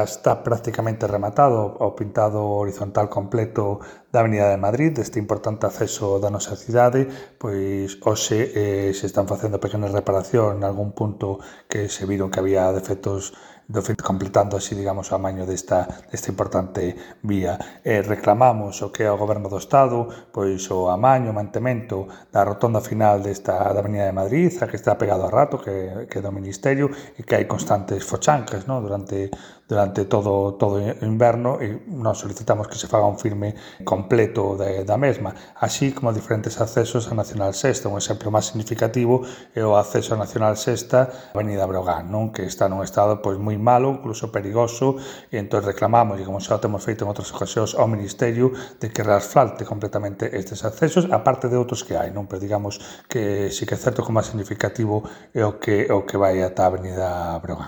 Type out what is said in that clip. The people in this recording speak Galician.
Está prácticamente rematado o pintado horizontal completo da Avenida de Madrid, deste importante acceso da nosa cidade, pois hoxe se están facendo pequenas reparacións en algún punto que se viron que había defectos completando así, digamos, o amaño desta importante vía. Reclamamos o que é o Goberno do Estado, pois o amaño, o mantemento da rotonda final da Avenida de Madrid, a que está pegado a rato, que é do Ministerio, e que hai constantes fochancas, ¿no? durante todo o inverno, e nós solicitamos que se faga un firme completo da mesma, así como diferentes accesos a Nacional Sexta. Un exemplo máis significativo é o acceso a Nacional Sexta, Avenida Breogán, non? Que está nun estado pois moi malo, incluso perigoso, e entón reclamamos, e como xa o temos feito en outras ocasións, ao Ministerio de que reasfalte completamente estes accesos, aparte de outros que hai, non? Pero digamos que sí que é certo que o máis significativo é o que vai ata a Avenida Breogán.